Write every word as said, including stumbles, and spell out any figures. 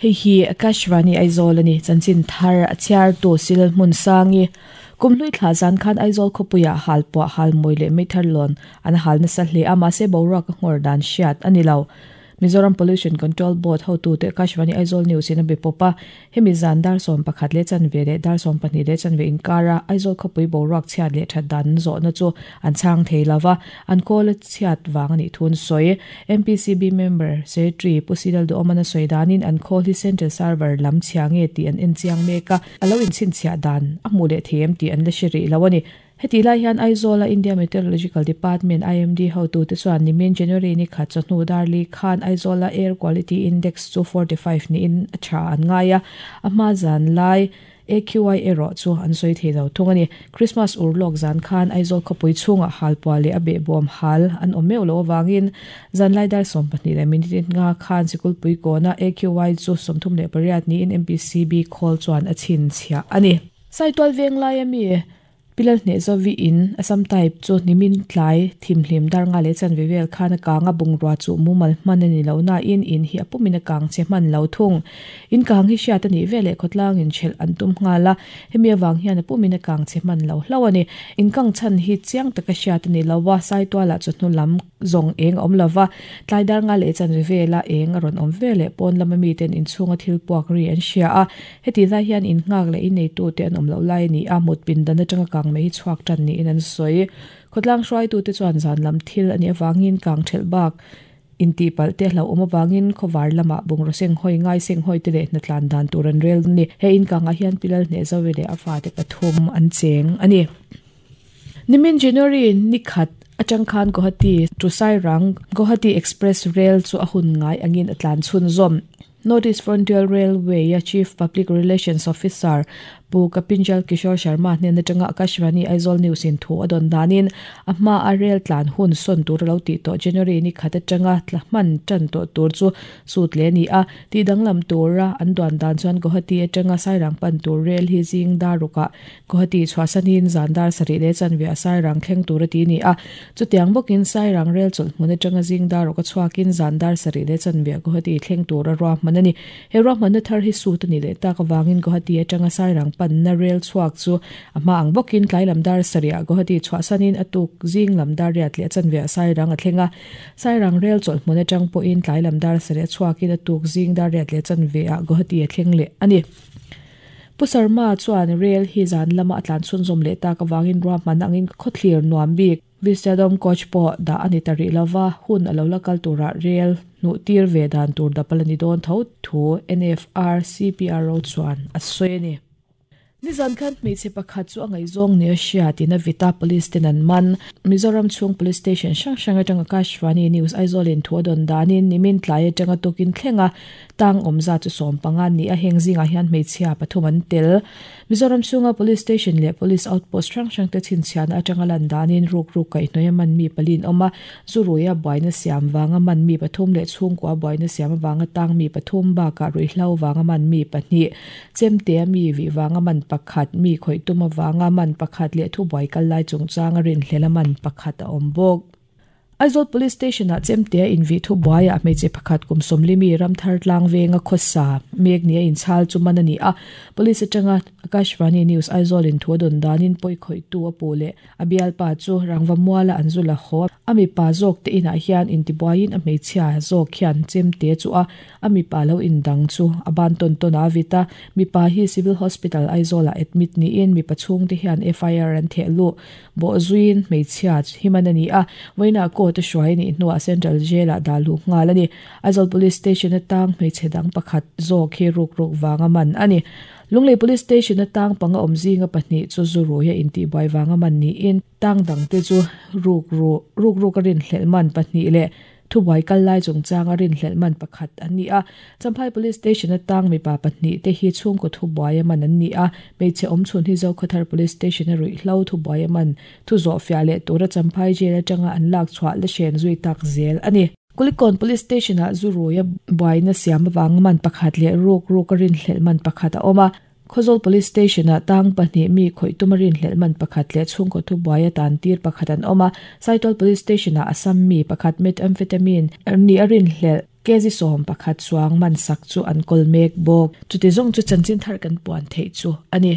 Hei hi Akashvani Aizawl ani chanchin thar a chhiar tu sil hmun sangi kumhlui thla zan khan Aizawl khawpuia hal pawh hal mawi leh meithar lawn an hal nasa hle a mahse boruak a nghawr dan hriat ani lo. Mizoram Pollution Control Board hotu te Akashvani Aizawl News in a be pawpa hemi zan dar sawm pakhat leh chanve leh dar sawm pahnih leh chanve inkara Aizawl khawpui boruak chhiat leh that dan zawhna chu an chhang thei lova an kawl a chhiat wang ani thun sawi M P C B member secretary Pu Sidal Duomana sawi danin an khawl hi central server lam chhiange ti an en chiang meka alo in chin chhia dan a hmu leh them ti an la hri lo ani. Heti lai hian Aizawl a India Meteorological Department I M D hotu te chuan nimin January ni khat chawhnu darli khan Aizawl a Air Quality Index chu forty-five ni in a tha an ngaia a hma zan lai A Q I ero chu an sawi thei lo thung ani. Christmas urlok zan khan Aizawl khawpui chhunga hal pua leh a be bawm hal an awm meuh lo awangin zan lai dar sawm pahnih leh minute nga khan sikul pui kawna A Q I chu sawmthum leh pariat ni in M P C B khawl chuan a chhin chhia ani. Saitual veng lai ami Pilal hne zovi in Assam type chu nimin tlai thimhlim dar nga le chan vevel khan a kanga bungrua chu mumal hman ani lo na in in hi apumina kang che hman lo thung in kang hi hriat ani vele khotlang in chhel an tum nga la hemi awang hian apumina kang che hman lo hlo ani in kang chan hi chiang taka hriat ani lowa saituala chu hnu lam zong eng awm lova tlai dar nga le chan vevela eng a rawn awm vele pawn lama mi ten in chhunga thil puak ri an hria a heti lai hian in ngak le in nei tu te an awm lo lai ni a mut pin dan atanga kang mai chuak tan ni in an sawi khotlang hruai tu te chuan zan lam thil ani awangin kang thel bak in ti pal te hlo awm awangin khawar lama bungro seng hoi ngai seng hoi te leh hna tlan dan tur an rel ni he in kanga hian pilal hne zowe leh a fa te pathum an cheng ani. Nimin January ni khat atang khan Guwahati to Sairang Guwahati Express Rail chu a hun ngai angin atlan chhun zom Northeast Frontier Railway a Chief Public Relations Officer Pu Kapinjal Kishore Sharma hnen atanga Akashvani Aizawl News in thu adon danin a hma a rail tlan hun son tur lo ti to January ni khat atanga tlahman tan to tur chu sut le ni a ti danglam tura an duan dan chuan Guwahati atanga Sairang pan tur rail hi jing daruka Guwahati chhuasanin zandar sari le chanve a Sairang thleng tur ti ni a chutiang bokin Sairang rail chul hmun atanga jing daruka chhuakin zandar sari le chanve Guwahati thleng tur a ro manani he ro man thar hi su tani le tak awangin Guwahati atanga Sairang pan na rail chuak chu ama ang bokin tlai lamdar saria Guwahati chhuasanin atuk jing lamdar riat le chanve Sairang a thlenga Sairang rail chol hmun atang pawhin tlai lamdar saria chuakin atuk jing dar riat le chanve a Guwahati a thleng le ani. Pu Sharma chuan rail hi zan lama atlan chhun zawm leh tak awangin ruahman angin khawthlir nuam bik Vistadom coach pawh dah ani tari lova hun alo la kal tura rail nu tir ve dan tur dapal ani dawn tho thu N F R C P R O chuan a sawi ani. Nizan khan hmeichhe pakhat chu a ngaihzawng ni a hriat in a vita police ten an man Mizoram chhung police station hrang hrang atanga Akashvani News Aizawl in thu a dawn danin nimin tlai atanga tukin thlenga tang awmza chu sawm panga ni a heng zingah hian hmeichhia pathum an tel Mizoram chhunga police station leh police outpost hrang hrang te chhinchhiahna atanga lan danin ruk ruk kaihhnawih a man mi palin awm a zuruia buaina siam wanga man mi pathum leh chhungkua buaina siam awanga tang mi pathum bakah ruihhlo wanga man mi pahnih chemte a mi vi wanga man pakhat mi khoi tuma wanga man pakhat leh thu buai kal lai chungchang a rin hlela man pakhat a awm bawk. Aizawl Police Station a chemte in vi thu buai a hmeichhe pakhat kum sawmlimi ramthar tlang venga khawsa mek ni a inchhal chu man ani a police atanga Akashvani News Aizawl in thu a dawn danin pawi khawih tu a pu leh a bialpa chu rangva muala an zula haw ami pa zawk te inah hian intibuaiin a hmeichhia zawk hian chemte chu a ami pa lo indang chu a ban tawn tawn a vita mipa hi Civil Hospital Aizawl ah admit niin mipa chhung te hian F I R an theh lu bawh zuiin hmeichhia himan ani a vawiinah ko te hruai ni hnuah Central Jail ah dah luh nghal ani. Aizawl Police Station atang hmeichhe dang pakhat zawk hi ruk ruk wanga man ani. Lunglei Police Station atang panga awm zinga pahnih chu zuruia intihbuai wanga man niin tang dang te chu ruk ru ruk ruk a rin hlelh man pahnih leh thubuai kal lai chungchang a rin hlelh man pakhat an ni a. Champhai Police Station atang mipa pahnih te hi chhungkaw thubuai a man an ni a hmeichhe awm chhun hi Zokhawthar Police Station a ruihhlo thubuai a man thu zawh fiah leh tura Champhai jail atanga an lak chhuah la hren zui tak zel ani. Kulikon Police Station ah zuruia buaina siam awang man pakhat leh ruk ruk a rin hlelh man pakhat a awm a. Khawzawl Police Station ah tang pahnih mi khawih tuma rin hlelh man pakhat leh chhungkaw thubuai a tan tir pakhat an awm a. Saitual Police Station ah Assam mi pakhat methamphetamine ni a rin hlelh Kezi som pakhat chuang man sak chu an kol mek bawk. Chuti zawng chu chanchin thar kan puan theih chu ani.